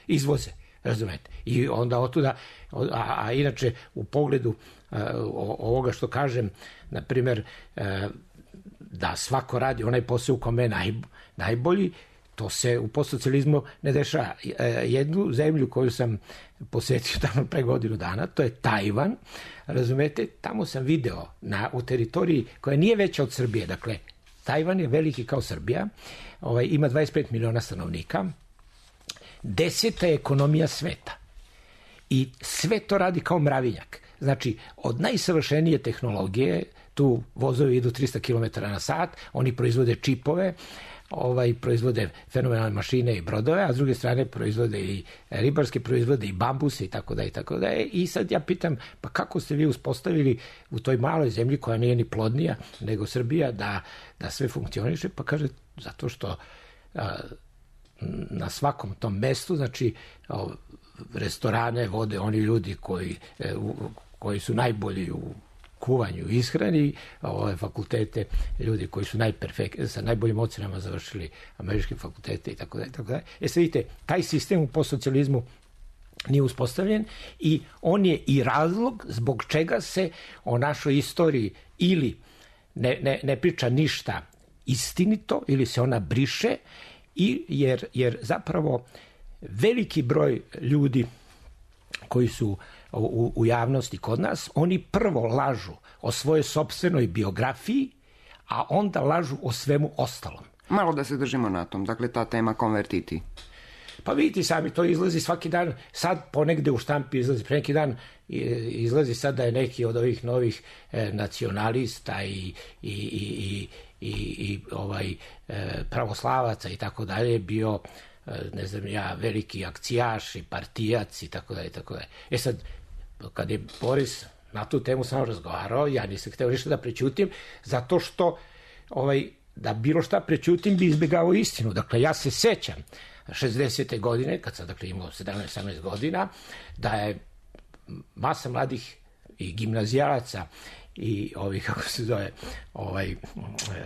izvoze. Razumete? I onda otuda, a inače u pogledu ovoga što kažem, na primjer, da svako radi onaj posao u kome je najbolji, to se u postsocijalizmu ne dešava. Jednu zemlju koju sam posetio tamo pre godinu dana, to je Tajvan, razumete, tamo sam video u teritoriji koja nije veća od Srbije, dakle, Tajvan je veliki kao Srbija, ima 25 miliona stanovnika, 10. je ekonomija sveta i sve to radi kao mravinjak. Znači, od najsavršenije tehnologije, tu vozovi idu 300 km na sat, oni proizvode čipove, proizvode fenomenalne mašine i brodove, a s druge strane proizvode i ribarske proizvode i bambuse i tako da i tako da. I sad ja pitam, pa kako ste vi uspostavili u toj maloj zemlji koja nije ni plodnija nego Srbija da sve funkcioniše? Pa kaže, zato što na svakom tom mestu, znači restorane vode oni ljudi koji su najbolji u kuvanju i ishrani, fakultete, ljudi koji su sa najboljim ocenama završili američke fakultete i tako dalje. Sad vidite, taj sistem u postsocijalizmu nije uspostavljen i on je i razlog zbog čega se o našoj istoriji ili ne priča ništa istinito ili se ona briše, jer zapravo veliki broj ljudi koji su u javnosti kod nas, oni prvo lažu o svojoj sopstvenoj biografiji, a onda lažu o svemu ostalom. Malo da se držimo na tom, dakle ta tema konvertiti. Pa vidite sami, to izlazi svaki dan, sad ponegde u štampi izlazi, pre neki dan izlazi sad da je neki od ovih novih nacionalista i pravoslavaca i tako dalje bio, ne znam ja, veliki akcijaš i partijac i tako dalje. Sad, kad je Boris na tu temu samo razgovarao, ja nisam hteo ništa da prećutim, zato što da bilo šta prećutim bi izbjegao istinu. Dakle, ja se sećam 60. godine, kad sam dakle imao 17-18 godina, da je masa mladih i gimnazijalaca i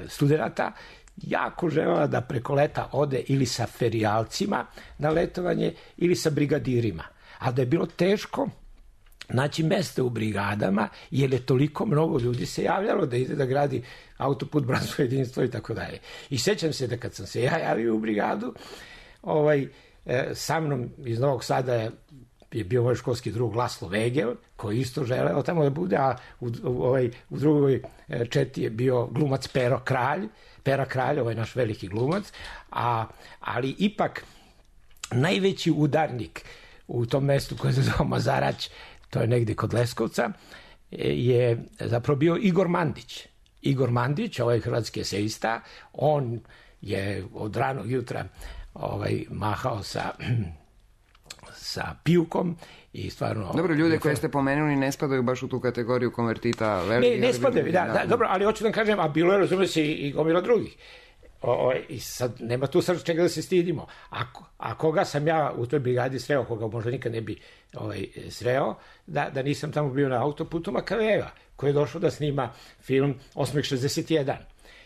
studenata jako želela da preko leta ode ili sa ferijalcima na letovanje ili sa brigadirima. A da je bilo teško naći mesta u brigadama, jer je toliko mnogo ljudi se javljalo da ide da gradi autoput, bratstvo, jedinstvo i tako dalje. I sećam se da kad sam se ja javio u brigadu, sa mnom iz Novog Sada je bio moj školski drug Laslo Vegel, koji isto želeo tamo da bude, a u drugoj četi je bio glumac Pera Kralj, naš veliki glumac, ali ipak najveći udarnik u tom mestu koje se zove Mazarać, to je negdje kod Leskovca, je zapravo bio Igor Mandić. Igor Mandić, hrvatski esejista, on je od ranog jutra mahao sa pijukom i stvarno... Dobro, ljude koje ste pomenuli ne spadaju baš u tu kategoriju konvertita. Ne spadaju, da, dobro, ali hoću da kažem, a bilo je, razume se, i gomila drugih. I sad, nema tu sad čega da se stidimo. A koga sam ja u toj brigadi sreo, koga možda nikad ne bi sreo, da nisam tamo bio na autoputu, Makavejeva, koji je došao da snima film Osmeh 61.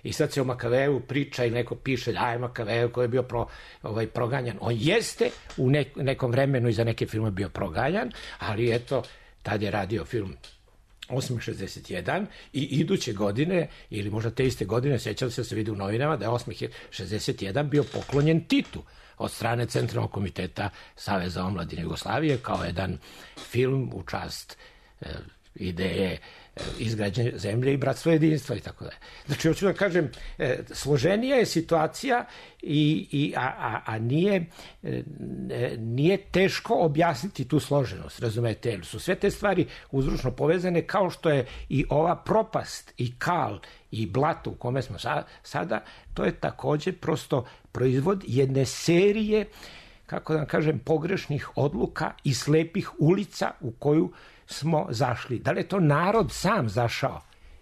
I sad se o Makavejevu priča i neko piše da je Makavejev koji je bio proganjan. On jeste u nekom vremenu i za neke filme bio proganjan, ali eto, tad je radio film Osmeh 61 i iduće godine, ili možda te iste godine, sećam se vidi u novinama da je Osmeh 61 bio poklonjen Titu od strane Centralnog komiteta Saveza omladine Jugoslavije kao jedan film u čast ideje izgrađenja zemlje i bratstva jedinstva i tako dalje. Znači, hoću da kažem, složenija je situacija, a nije teško objasniti tu složenost, razumete, jer su sve te stvari uzročno povezane, kao što je i ova propast i kal i blato u kome smo sada, to je također prosto proizvod jedne serije, kako da kažem, pogrešnih odluka i slepih ulica u koju smo zašli. Da li je to narod sam zašao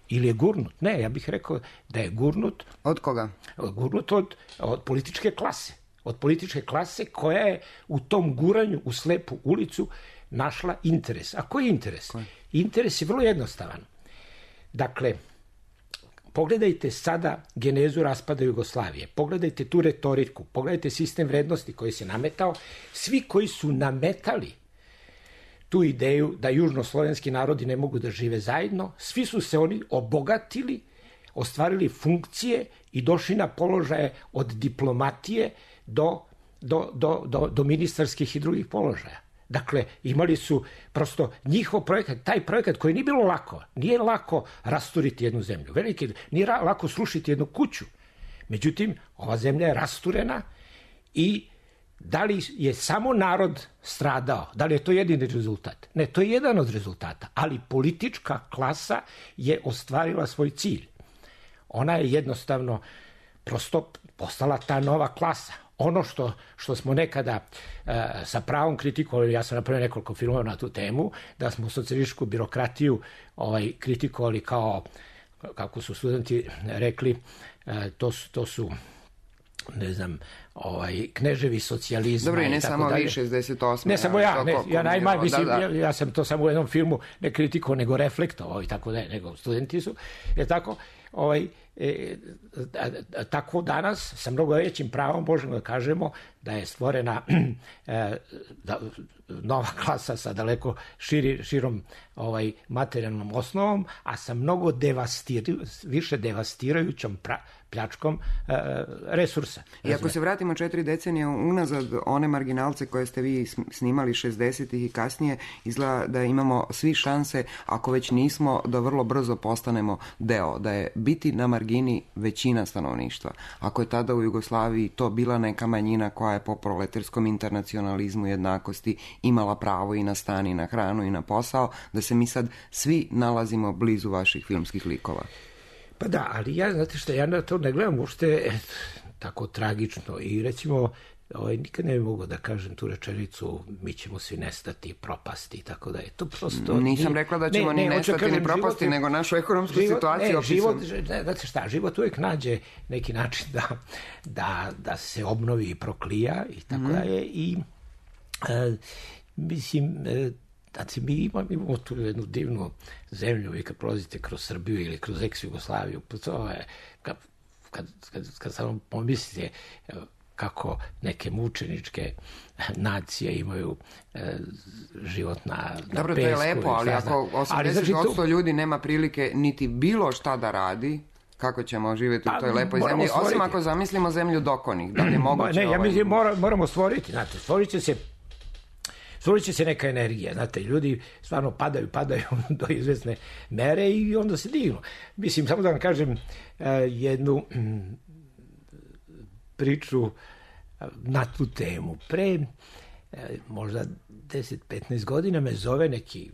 ili je gurnut? Ne, ja bih rekao da je gurnut... Od koga? Gurnut od političke klase. Od političke klase koja je u tom guranju u slepu ulicu našla interes. A koji je interes? Interes je vrlo jednostavan. Dakle, pogledajte sada genezu raspada Jugoslavije, pogledajte tu retoriku, pogledajte sistem vrednosti koji se nametao. Svi koji su nametali tu ideju da južnoslovenski narodi ne mogu da žive zajedno, svi su se oni obogatili, ostvarili funkcije i došli na položaje od diplomatije do ministarskih i drugih položaja. Dakle, imali su prosto njihov projekat, taj projekat koji nije bilo lako, nije lako rasturiti jednu zemlju, nije lako srušiti jednu kuću. Međutim, ova zemlja je rasturena i da li je samo narod stradao? Da li je to jedini rezultat? Ne, to je jedan od rezultata, ali politička klasa je ostvarila svoj cilj. Ona je jednostavno prosto postala ta nova klasa. Ono što smo nekada sa pravom kritikovali, ja sam napravio nekoliko filmova na tu temu, da smo socijalističku birokratiju kritikovali kao, kako su studenti rekli, to su ne znam, kneževi socijalizma. Dobro, i ne samo vi 68. Ne samo ja najmanje, mislim, ja sam to samo u jednom filmu ne kritikovao, nego reflektovao i tako da, nego studenti su, je tako, tako danas sa mnogo većim pravom možemo da kažemo da je stvorena nova klasa sa daleko širom materijalnom osnovom, a sa mnogo više devastirajućom pljačkom resursa. I ako se vratimo 4 decenije unazad, one marginalce koje ste vi snimali 60-ih i kasnije, izgleda da imamo svi šanse, ako već nismo, da vrlo brzo postanemo deo, da je biti na margini većina stanovništva. Ako je tada u Jugoslaviji to bila neka manjina koja je po proletarskom internacionalizmu jednakosti imala pravo i na stan i na hranu i na posao, da se mi sad svi nalazimo blizu vaših filmskih likova. Pa da, ali znate što, ja na to ne gledam uopšte tako tragično i recimo nikad ne bi mogao da kažem tu rečenicu mi ćemo svi nestati, propasti i tako da je to prosto... Nisam rekla da ćemo ni nestati ni propasti, nego našu ekonomsku situaciju opisam. Znate šta, život uvijek nađe neki način da se obnovi i proklija i tako da je i mislim... Znači, mi imamo tu jednu divnu zemlju, vi kad prolazite kroz Srbiju ili kroz ex-Jugoslaviju, to je, kad samo pomislite kako neke mučeničke nacije imaju život na pesku. Dobro, to je lepo, ali ako 80% ljudi nema prilike niti bilo šta da radi, kako ćemo živjeti u toj lepoj zemlji, osim ako zamislimo zemlju dokonih, da li je moguće... Ne, ja mislim, moramo stvoriti, znate, stvorit će se neka energija, znate, ljudi stvarno padaju do izvesne mere i onda se dignu. Mislim, samo da vam kažem jednu priču na tu temu. Pre možda 10-15 godina me zove neki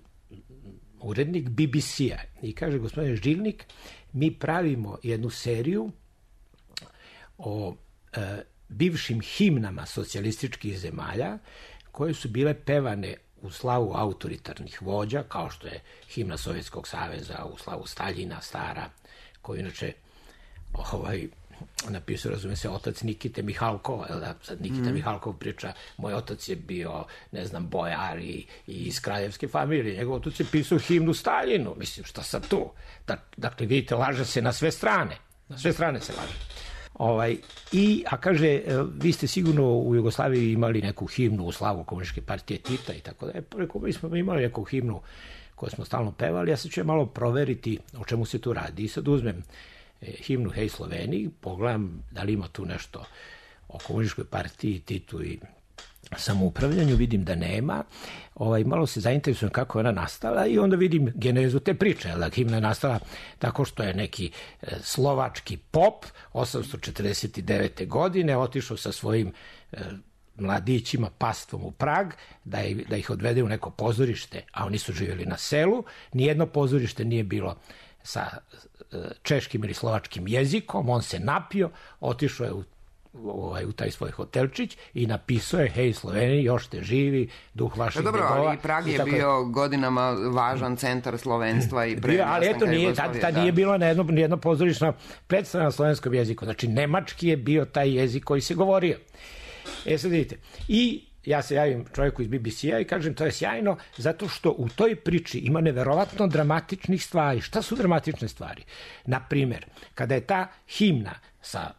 urednik BBC-a i kaže, gospodine Žilnik, mi pravimo jednu seriju o bivšim himnama socijalističkih zemalja koje su bile pevane u slavu autoritarnih vođa, kao što je himna Sovjetskog saveza u slavu Staljina, stara, koju inače napisao, razume se, otac Nikite Mihalkova, sad Nikita Mihalkov priča, moj otac je bio, ne znam, bojar i iz kraljevske familije, njegov otac je pisao himnu Staljinu, mislim, šta sad tu? Dakle, vidite, laže se na sve strane se laže. A kaže, vi ste sigurno u Jugoslaviji imali neku himnu u slavu Komunističke partije Tita i tako da je. Rekao, mi smo imali neku himnu koju smo stalno pevali, ja sad ću malo proveriti o čemu se tu radi. I sad uzmem himnu Hej Sloveniji, pogledam da li ima tu nešto o Komunističkoj partiji, Titu i samoupravljanju, vidim da nema, malo se zainteresujem kako je ona nastala i onda vidim genezu te priče, himna je nastala tako što je neki slovački pop 849. godine otišao sa svojim mladićima, pastvom u Prag, da ih odvede u neko pozorište, a oni su živjeli na selu, nijedno pozorište nije bilo sa češkim ili slovačkim jezikom, on se napio, otišao je u taj svoj hotelčić i napisao je Hej Sloveniji, još ste živi, duh vaših degova. Dobro, ali Prag je bio godinama važan centar slovenstva i pre ali eto, tad nije bilo nijedno pozorišna predstava na slovenskom jeziku. Znači, nemački je bio taj jezik koji se govorio. Sad vidite. I ja se javim čovjeku iz BBC-a i kažem, to je sjajno, zato što u toj priči ima neverovatno dramatičnih stvari. Šta su dramatične stvari? Naprimer, kada je ta himna sa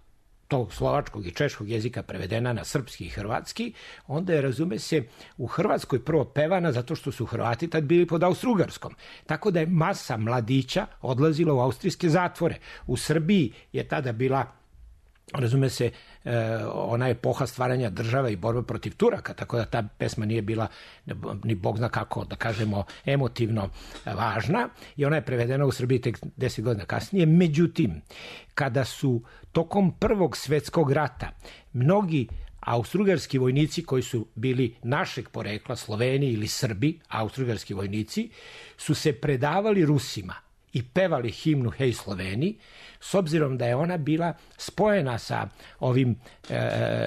tog slovačkog i češkog jezika prevedena na srpski i hrvatski, onda je, razume se, u Hrvatskoj prvo pevana zato što su Hrvati tad bili pod Austrougarskom. Tako da je masa mladića odlazila u austrijske zatvore. U Srbiji je tada bila, razume se, ona epoha stvaranja države i borbe protiv Turaka, tako da ta pesma nije bila ni bog zna kako, da kažemo, emotivno važna i ona je prevedena u Srbiji tek 10 godina kasnije. Međutim, kada su tokom Prvog svjetskog rata mnogi austrougarski vojnici koji su bili našeg porekla, Sloveni ili Srbi, austrougarski vojnici, su se predavali Rusima i pevali himnu Hej Sloveni, s obzirom da je ona bila spojena sa ovim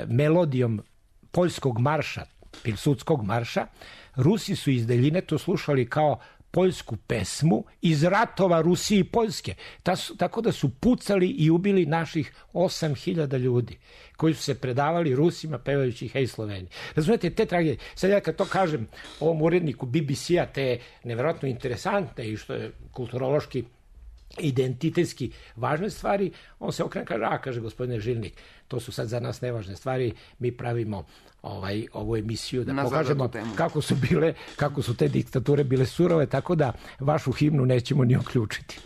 melodijom poljskog marša, Pilsudskog marša, Rusi su iz daljine to slušali kao poljsku pesmu iz ratova Rusije i Poljske. Tako da su pucali i ubili naših 8.000 ljudi koji su se predavali Rusima pevajući Hej Sloveniji. Razumete, te tragedije. Sad ja kad to kažem ovom uredniku BBC-a, te nevjerojatno interesantne i što je kulturološki identitetski važne stvari, on se okrene kaže, kaže gospodine Žilnik, to su sad za nas nevažne stvari, mi pravimo ovu emisiju da pokažemo kako su te diktature bile surove, tako da vašu himnu nećemo ni uključiti.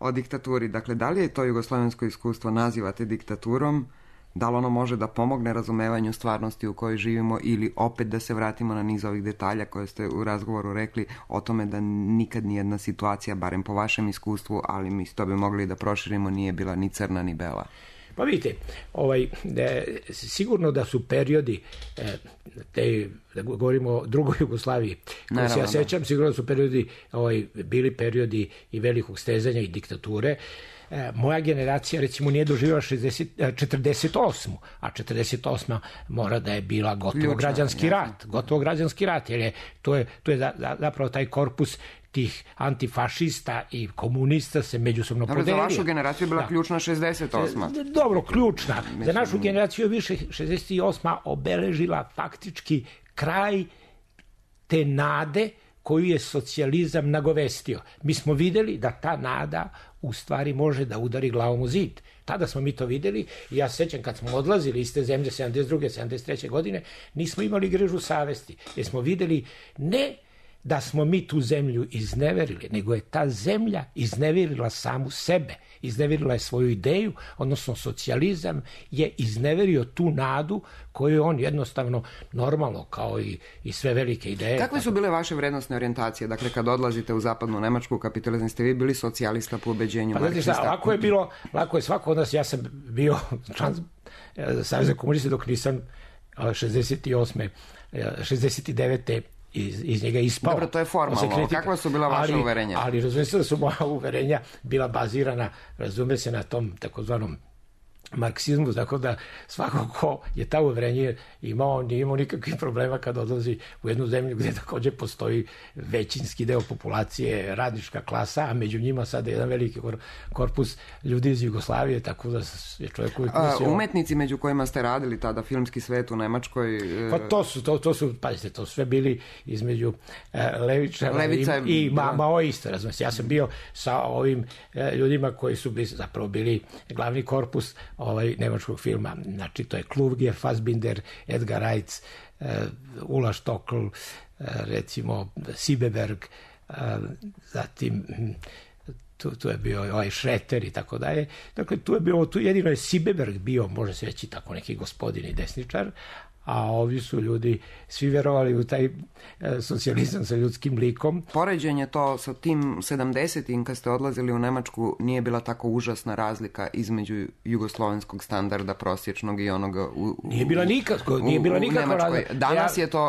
O diktaturi, dakle, da li je to jugoslovensko iskustvo nazivate diktaturom? Da li ono može da pomogne razumevanju stvarnosti u kojoj živimo ili opet da se vratimo na niz ovih detalja koje ste u razgovoru rekli o tome da nikad nijedna situacija, barem po vašem iskustvu, ali mi to bi mogli da proširimo, nije bila ni crna ni bela? Pa vidite, sigurno da su periodi, da govorimo o drugoj Jugoslaviji, koji se ja sećam, sigurno da su periodi, bili periodi i velikog stezanja i diktature. moja generacija recimo nije doživjela 48. A 48. mora da je bila gotovo građanski rat. Gotovo građanski rat, jer to je zapravo taj korpus tih antifašista i komunista se međusobno podelio. Za vašu generaciju je bila ključna 68. Dobro, ključna. Za našu generaciju više 68. obeležila faktički kraj te nade koju je socijalizam nagovestio. Mi smo videli da ta nada u stvari može da udari glavom u zid. Tada smo mi to videli i ja se sećam kad smo odlazili iz te zemlje 72. 73. godine, nismo imali grežu savesti, jer smo videli ne da smo mi tu zemlju izneverili, nego je ta zemlja izneverila samu sebe, izneverila je svoju ideju, odnosno socijalizam je izneverio tu nadu koju on jednostavno normalno, kao i sve velike ideje. Kakve su bile vaše vrednostne orijentacije? Dakle, kad odlazite u zapadnu Nemačku, kapitalizam, ste vi bili socijalista po ubeđenju marksista? Lako je svako od nas, ja sam bio član Saveza komunista dok nisam 69. iz njega ispao. Dobro, to je formalno. Kakva su bila vaša uverenja? Ali razume se da su moja uverenja bila bazirana, razume se, na tom takozvanom marksizmu, tako da svako ko je ta uverenje imao, nije imao nikakvih problema kad odlazi u jednu zemlju gdje također postoji većinski deo populacije, radnička klasa, a među njima sada jedan veliki korpus ljudi iz Jugoslavije, tako da je čovjek uvijek mislio... Umetnici među kojima ste radili tada, filmski svet u Nemačkoj... Pa to su, pazite, to sve bili između levičara i maoista, razumijete. Ja sam bio sa ovim ljudima koji su zapravo bili glavni korpus nemačkog filma. Znači, to je Kluger, Fassbinder, Edgar Reitz, Ulla Stockl, recimo Siebeberg, zatim tu je bio ovaj Schreter i tako dalje. Dakle, jedino je Siebeberg bio, može se reći tako, neki gospodin i desničar, a ovi su ljudi svi verovali u taj socijalizam sa ljudskim likom. Poređenje to sa tim 70-im kad ste odlazili u Nemačku nije bila tako užasna razlika između jugoslovenskog standarda prosječnog i onoga Nije bila nikakva razlika.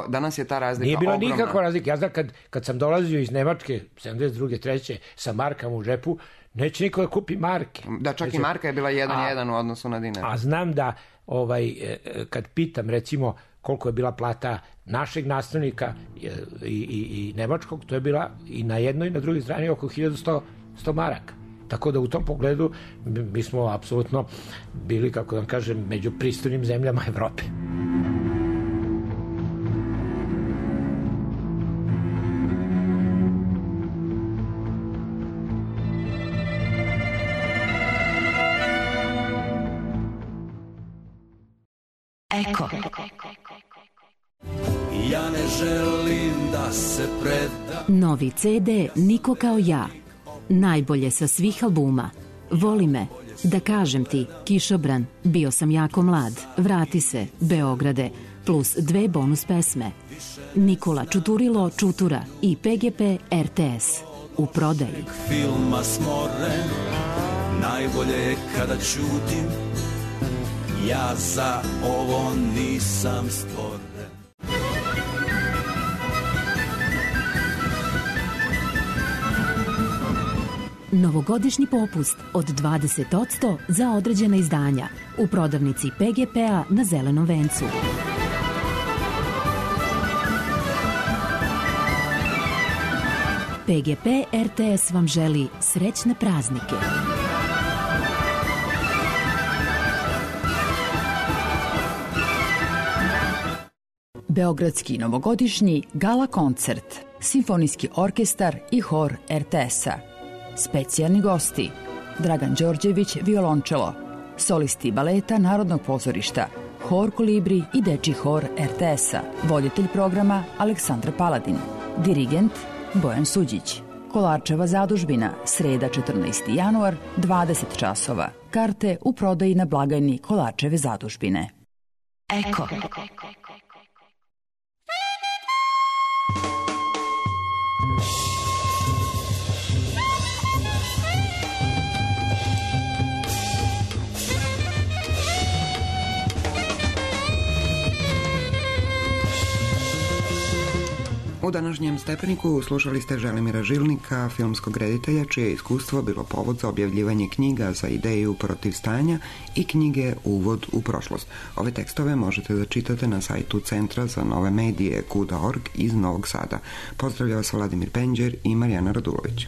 Danas je ta razlika nije bila ogromna. Nikakva razlika. Ja znam kad sam dolazio iz Nemačke 72. 3. sa markama u džepu, neće niko da kupi marke. Da, čak i marka je bila 1:1 u odnosu na dinar. A znam da kad pitam recimo koliko je bila plata našeg nastavnika i nemačkog, to je bila i na jednoj i na drugoj strani oko 1100 maraka. Tako da u tom pogledu mi smo apsolutno bili, kako da kažem, među pristojnim zemljama Evrope. Eko. Ja ne želim da se predam. Novi CD Niko kao ja. Najbolje sa svih albuma. Voli me, Da kažem ti, Kišobran, Bio sam jako mlad, Vrati se, Beograde, plus 2 bonus pesme. Nikola Čuturilo Čutura i PGP RTS. U prodaji. Filma smoren, najbolje je kada ćutim. Ja za ovo nisam stvoren. Novogodišnji popust od 20% za određena izdanja u prodavnici PGP-a na Zelenom vencu. PGP RTS vam želi srećne praznike. Beogradski novogodišnji gala koncert, simfonijski orkestar i hor RTS-a. Specijalni gosti: Dragan Đorđević, violončelo, solisti baleta Narodnog pozorišta, hor Kolibri i dečji hor RTS-a, voditelj programa Aleksandra Paladin, dirigent Bojan Suđić. Kolarčeva zadužbina, sreda 14. januar, 20 časova. Karte u prodaji na blagajni Kolarčeve zadužbine. Eko. U današnjem Stepeniku slušali ste Želimira Žilnika, filmskog reditelja, čije iskustvo bilo povod za objavljivanje knjiga za ideju protiv stanja i knjige Uvod u prošlost. Ove tekstove možete da čitate na sajtu Centra za nove medije KUDA.org iz Novog Sada. Pozdravlja vas Vladimir Penđer i Marijana Radulović.